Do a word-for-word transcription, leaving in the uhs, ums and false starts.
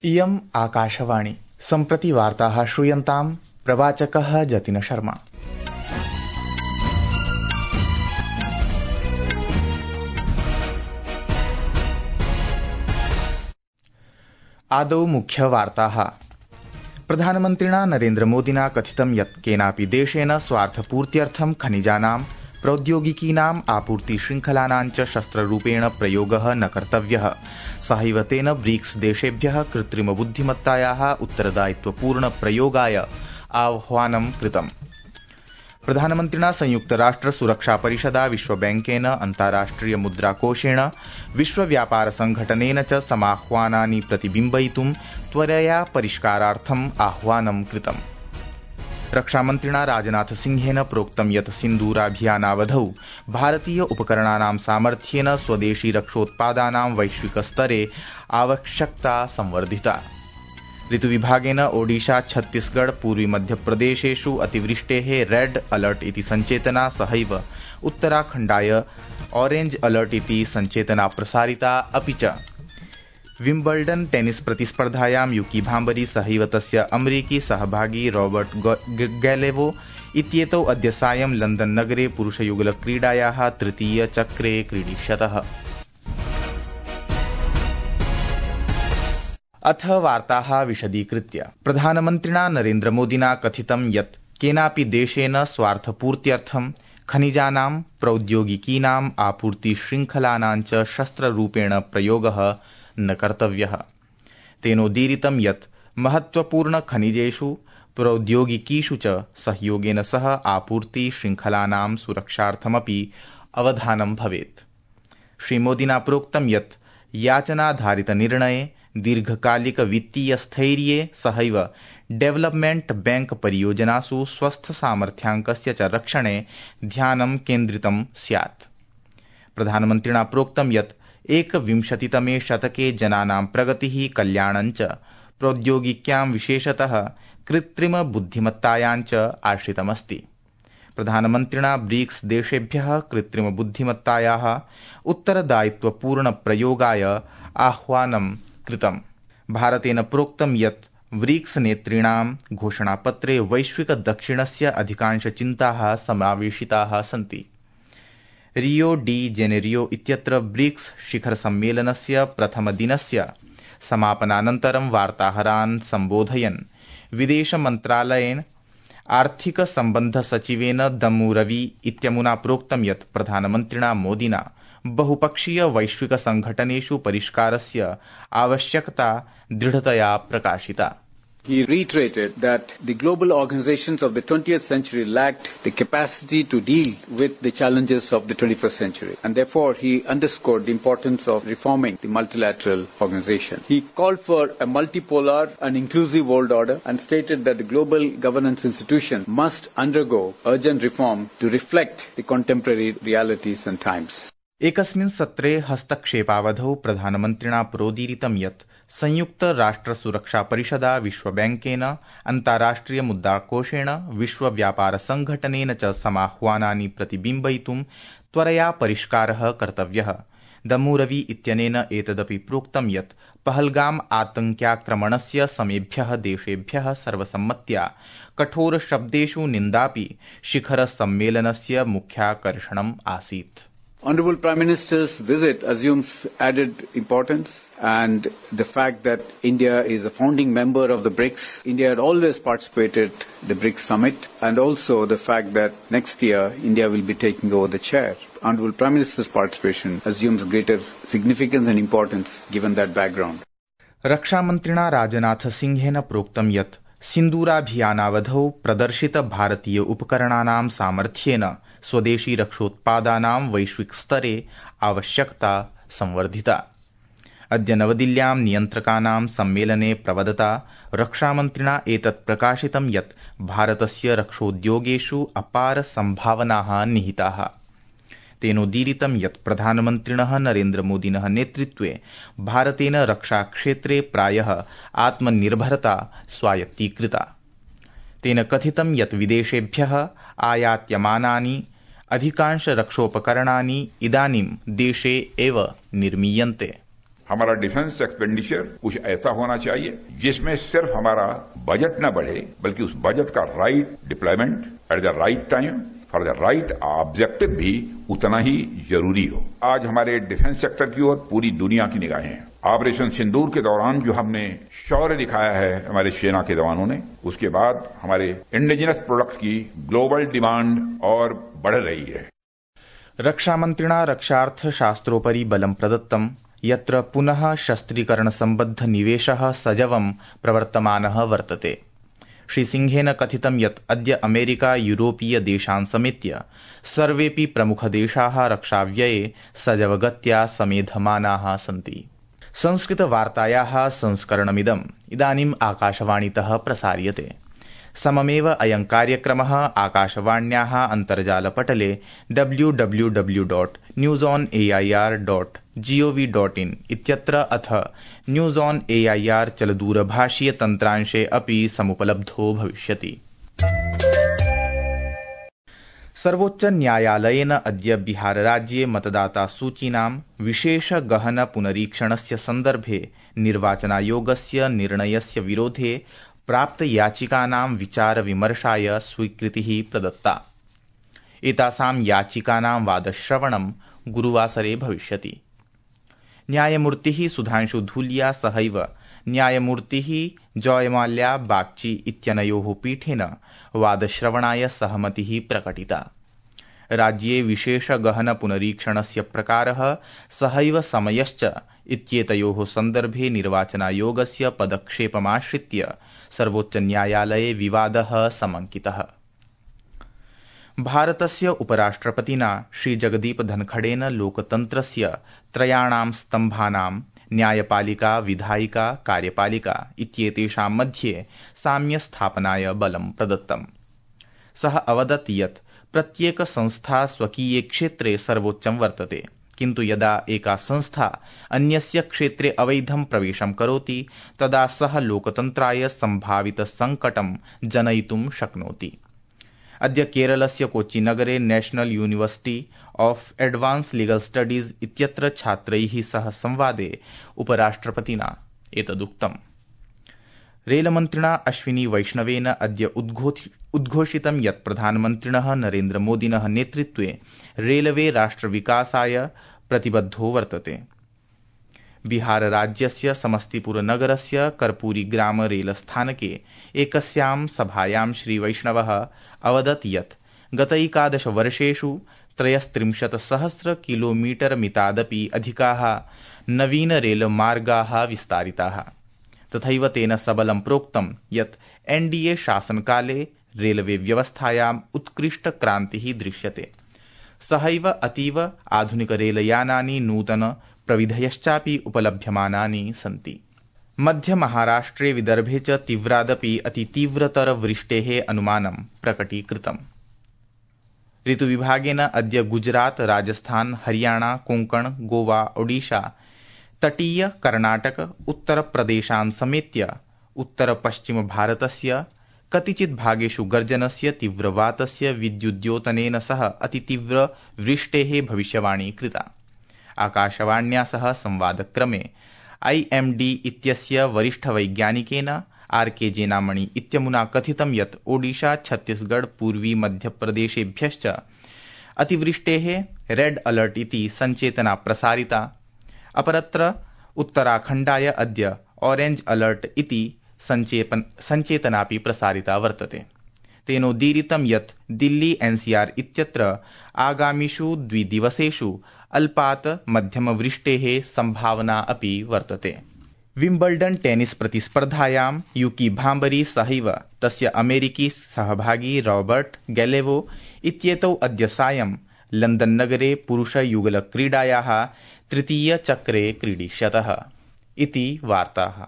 इयम् आकाशवाणी सम्प्रति वार्ताः श्रूयन्ताम् प्रवाचकः जतिन शर्मा। आदौ मुख्यवार्ताः। प्रधानमन्त्रिणा नरेन्द्रमोदिना कथितं यत् केनापि देशेन स्वार्थपूर्त्यर्थं खनिजानां प्रौद्योगिकीनाम् आपूर्तिशृङ्खलानां च शस्त्ररूपेण प्रयोगः न कर्तव्यः। सहैव तेन ब्रिक्स देशेभ्यः कृत्रिमबुद्धिमत्तायाः उत्तरदायित्वपूर्ण प्रयोगाय आह्वानं कृतम्। प्रधानमन्त्रिणा संयुक्तराष्ट्र सुरक्षा परिषदा विश्वबैंकेन अन्ताराष्ट्रिय मुद्राकोषेण विश्वव्यापारसंघटनेन च समाह्वानानि प्रतिबिम्बयितुं त्वरया परिष्कारार्थम् आह्वानं कृतम्। रक्षामन्त्रिणा राजनाथसिंहेन प्रोक्तं यत् सिन्दूराभियानावधौ भारतीय उपकरणानां सामर्थ्येन स्वदेशी रक्षोत्पादानां वैश्विकस्तरे आवश्यकता संवर्धिता। ऋतुविभागेन ओडिशा छत्तीसगढ़ पूर्वी मध्यप्रदेशेषु अतिवृष्टेः रेड अलर्ट इति सञ्चेतना सहैव उत्तराखण्डाय ऑरेंज अलर्ट इति सञ्चेतना प्रसारिता। अपि च विम्बल्डन टेनिस प्रतिस्पर्धायां युकी भाम्बरी सहैव तस्य अमरीकी सहभागी रॉबर्ट गैलेवो इत्येतौ अद्य सायं लंदन नगरे पुरुषयुगलक्रीडायाः तृतीय चक्रे क्रीडिष्यतः। अथ वार्ताः विशदीकृत्य। प्रधानमन्त्रिणा नरेन्द्रमोदिना कथितं यत् केनापि देशेन स्वार्थपूर्त्यर्थं खनिजानां प्रौद्योगिकीनाम् आपूर्तिशृङ्खलानां च शस्त्ररूपेण प्रयोगः न कर्तव्यः। तेनोदीरितं यत् महत्वपूर्ण खनिजेषु प्रौद्योगिकीषु च सहयोगेन सह आपूर्ति शृङ्खलानां सुरक्षार्थमपि अवधानं भवेत्। श्रीमोदिना प्रोक्तं यत् याचनाधारितनिर्णये दीर्घकालिक वित्तीय स्थैर्ये सहैव डेवलपमेंट बैंक परियोजनासु स्वस्थ सामर्थ्याङ्कस्य च रक्षणे ध्यानं केन्द्रितं स्यात्। प्रधानमन्त्रिणा प्रोक्तं यत् एकविंशतितमे शतके जनानां प्रगतिः कल्याणं च प्रौद्योगिक्यां विशेषतः कृत्रिम बुद्धिमत्तायां च आश्रितमस्ति। प्रधानमन्त्रिणा ब्रिक्स देशेभ्यः कृत्रिम बुद्धिमत्तायाः उत्तरदायित्वपूर्ण प्रयोगाय आह्वानं कृतम्। भारतेन प्रोक्तं यत् ब्रिक्स नेतॄणां घोषणापत्रे वैश्विक दक्षिणस्य अधिकांशचिन्ताः समावेशिताः सन्ति। रियो डी जेनेरियो इत्यत्र ब्रिक्स शिखर सम्मेलनस्य प्रथमदिनस्य समापनानन्तरं वार्ताहरान् सम्बोधयन् विदेशमन्त्रालयेन आर्थिक सम्बन्ध सचिवेन दम्मू रवि इत्यमुना प्रोक्तं यत् प्रधानमन्त्रिणा मोदिना बहुपक्षीय वैश्विक संघटनेषु परिष्कारस्य आवश्यकता दृढतया प्रकाशिता। He reiterated that the global organizations of the twentieth century lacked the capacity to deal with the challenges of the twenty-first century, and therefore he underscored the importance of reforming the multilateral organization. He called for a multipolar and inclusive world order and stated that the global governance institutions must undergo urgent reform to reflect the contemporary realities and times. एकस्मिन् सत्रे हस्तक्षेपावधौ प्रधानमन्त्रिणा प्रोदीरितं यत् संयुक्त राष्ट्र सुरक्षा परिषदा विश्वबैंकेन अन्ताराष्ट्रिय मुद्राकोषेण विश्वव्यापारसंघटनेन च समाह्वानानि प्रतिबिम्बयितुं त्वरया परिष्कारः कर्तव्यः। दम्मू रवि इत्यनेन एतदपि प्रोक्तं यत् पहलगाम आतङ्क्याक्रमणस्य समेभ्यः देशेभ्यः सर्वसम्मत्या कठोरशब्देषु निन्दापि शिखर सम्मेलनस्य मुख्याकर्षणम् आसीत्। Honorable Prime Minister's visit assumes added importance, and the fact that India is a founding member of the BRICS, India had always participated in the BRICS summit, and also the fact that next year India will be taking over the chair. Honorable Prime Minister's participation assumes greater significance and importance given that background. रक्षामन्त्रिणा राजनाथसिंहेन प्रोक्तं यत् सिन्दूराभियानावधौ प्रदर्शित भारतीय उपकरणानां सामर्थ्येन स्वदेशी रक्षोत्पादानां वैश्विक स्तरे आवश्यकता संवर्धिता। अद्य नवदिल्ल्यां नियन्त्रकानां सम्मेलने प्रवदता रक्षामन्त्रिणा एतत् प्रकाशितं यत् भारतस्य रक्षोद्योगेषु अपार सम्भावनाः निहिताः। तेनोदीरितं यत् प्रधानमन्त्रिणः नरेन्द्रमोदिनः नेतृत्वे भारतेन रक्षाक्षेत्रे प्रायः आत्मनिर्भरता स्वायत्तीकृता। तेन कथितं यत् विदेशेभ्यः आयात्यमानानि अधिकांश रक्षोपकरणानि इदानीं देशे एव निर्मीयन्ते। हमारा डिफेंस एक्सपेंडिचर कुछ ऐसा होना चाहिए जिसमें सिर्फ हमारा बजट न बढ़े बल्कि उस बजट का right deployment at the right time for the right objective भी उतना ही जरूरी हो। आज हमारे डिफेंस सेक्टर की ओर पूरी दुनिया की निगाहें हैं। ऑपरेशन सिंदूर के दौरान जो हमने शौर्य दिखाया है हमारे सेना के जवानों ने, उसके बाद हमारे इंडिजिनस प्रोडक्ट्स की ग्लोबल डिमांड और बढ़ रही है। रक्षामन्त्रिणा रक्षार्थशास्त्रोपरि बलं प्रदत्तं यत्र पुनः शस्त्रीकरण सम्बद्ध निवेशः सजवं प्रवर्तमानः वर्तते। श्रीसिंहेन कथितं यत् अद्य अमेरिका यूरोपीय देशान् समेत्य सर्वेऽपि प्रमुखदेशाः रक्षाव्यये सजवगत्या समेधमानाः सन्ति। संस्कृतवार्तायाः संस्करणमिदम् इदानीम् आकाशवाणीतः प्रसार्यते। सममेव अयं कार्यक्रमः आकाशवाण्याः अन्तर्जालपटले W W W dot news on A I R dot GOV dot in इत्यत्र अथ news on A I R चलदूरभाषीय तन्त्रांशे अपि समुपलब्धो भविष्यति। सर्वोच्च न्यायालयेन अद्य बिहारराज्ये मतदातासूचीनां विशेष गहन पुनरीक्षणस्य सन्दर्भे निर्वाचनायोगस्य निर्णयस्य विरोधे प्राप्त याचिकानां विचार विमर्शाय स्वीकृतिः प्रदत्ता। एतासां याचिकानां वादश्रवणं गुरुवासरे भविष्यति। न्यायमूर्तिः सुधांशु धूलिया सहैव न्यायमूर्तिः जयमाल्या बागची इत्यनयोः पीठेन वादश्रवणाय सहमतिः प्रकटिता। राज्ये विशेष गहन पुनरीक्षणस्य प्रकारः सहैव समयश्च इत्येतयोः सन्दर्भे निर्वाचनायोगस्य पदक्षेपमाश्रित्य सर्वोच्च न्यायालये विवादः समंकितः। भारतस्य उपराष्ट्रपतिना श्रीजगदीप धनखड़ेन लोकतन्त्रस्य त्रयाणां स्तम्भानां न्यायपालिका, विधायिका, कार्यपालिका इत्येतेषां मध्ये साम्यस्थापनाय बलं प्रदत्तम्। सः अवदत् यत् प्रत्येक संस्था स्वकीये क्षेत्रे सर्वोच्चं वर्तते, किन्तु यदा एका संस्था अन्यस्य क्षेत्रे अवैधं प्रवेशं करोति तदा सः लोकतन्त्राय सम्भावित संकटं जनयितुं शक्नोति। अद्य केरलस्य कोच्चिनगरे national university of advanced legal studies इत्यत्र छात्रैः सह संवादे उपराष्ट्रपतिना एतदुक्तम्। रेलमन्त्रिणा अश्विनी वैष्णवेन अद्य उद्घोषितं यत् प्रधानमन्त्रिणः नरेन्द्रमोदिनः नेतृत्वे रेलवे राष्ट्रविकासाय प्रतिबद्धो वर्तते। बिहारराज्यस्य समस्तीपुरनगरस्य कर्पूरीग्राम रेलस्थानके एकस्यां सभायां श्रीवैष्णवः अवदत् यत् गतैकादशवर्षेषु त्रयस्त्रिंशत् सहस्र किलोमीटर मितादपि अधिकाः नवीन रेलमार्गाः विस्तारिताः। तथैव तेन सबलं प्रोक्तं यत् एनडीए शासनकाले रेलवे व्यवस्थायाम् उत्कृष्ट क्रान्तिः दृश्यते। सहैव अतीव आधुनिक रेलयानानि नूतन प्रविधयश्चापि उपलभ्यमानानि सन्ति। मध्य महाराष्ट्रे विदर्भे च तीव्रादपि अतितीव्रतर वृष्टेः अनुमानं प्रकटीकृतम्। ऋतुविभागेन अद्य गुजरात, राजस्थान, हरियाणा, कोंकण, गोवा, ओडिशा, तटीय कर्णाटक, उत्तरप्रदेशान् समेत्य उत्तरपश्चिम भारतस्य कतिचित् भागेषु गर्जनस्य, तीव्रवातस्य, विद्युद्योतनेन सह अतितीव्र वृष्टेः भविष्यवाणी कृता। आकाशवाण्या सह संवादक्रमे आई एम डी इत्यस्य वरिष्ठवैज्ञानिकेन आर के जेनामणि इत्यमुना कथितं यत् ओडिशा, छत्तीसगढ़, पूर्वी मध्यप्रदेशेभ्यश्च अतिवृष्टेः रेड अलर्ट इति संचेतना प्रसारिता। अपरत्र उत्तराखण्डाय अद्य ऑरेंज अलर्ट इति संचेतनापि प्रसारिता वर्तते। तेनोदीरितं यत् दिल्ली एनसीआर इत्यत्र आगामिषु द्विदिवसेषु अल्पात् मध्यमवृष्टेः संभावना अपि वर्तते। विम्बल्डन् टेनिस प्रतिस्पर्धायां यूकी भाम्बरी सहैव तस्य अमेरिकी सहभागी रॉबर्ट गैलेवो इत्येतौ अद्य सायं लंदन नगरे पुरुषयुगलक्रीडायाः तृतीयचक्रे क्रीडिष्यतः इति वार्ताः।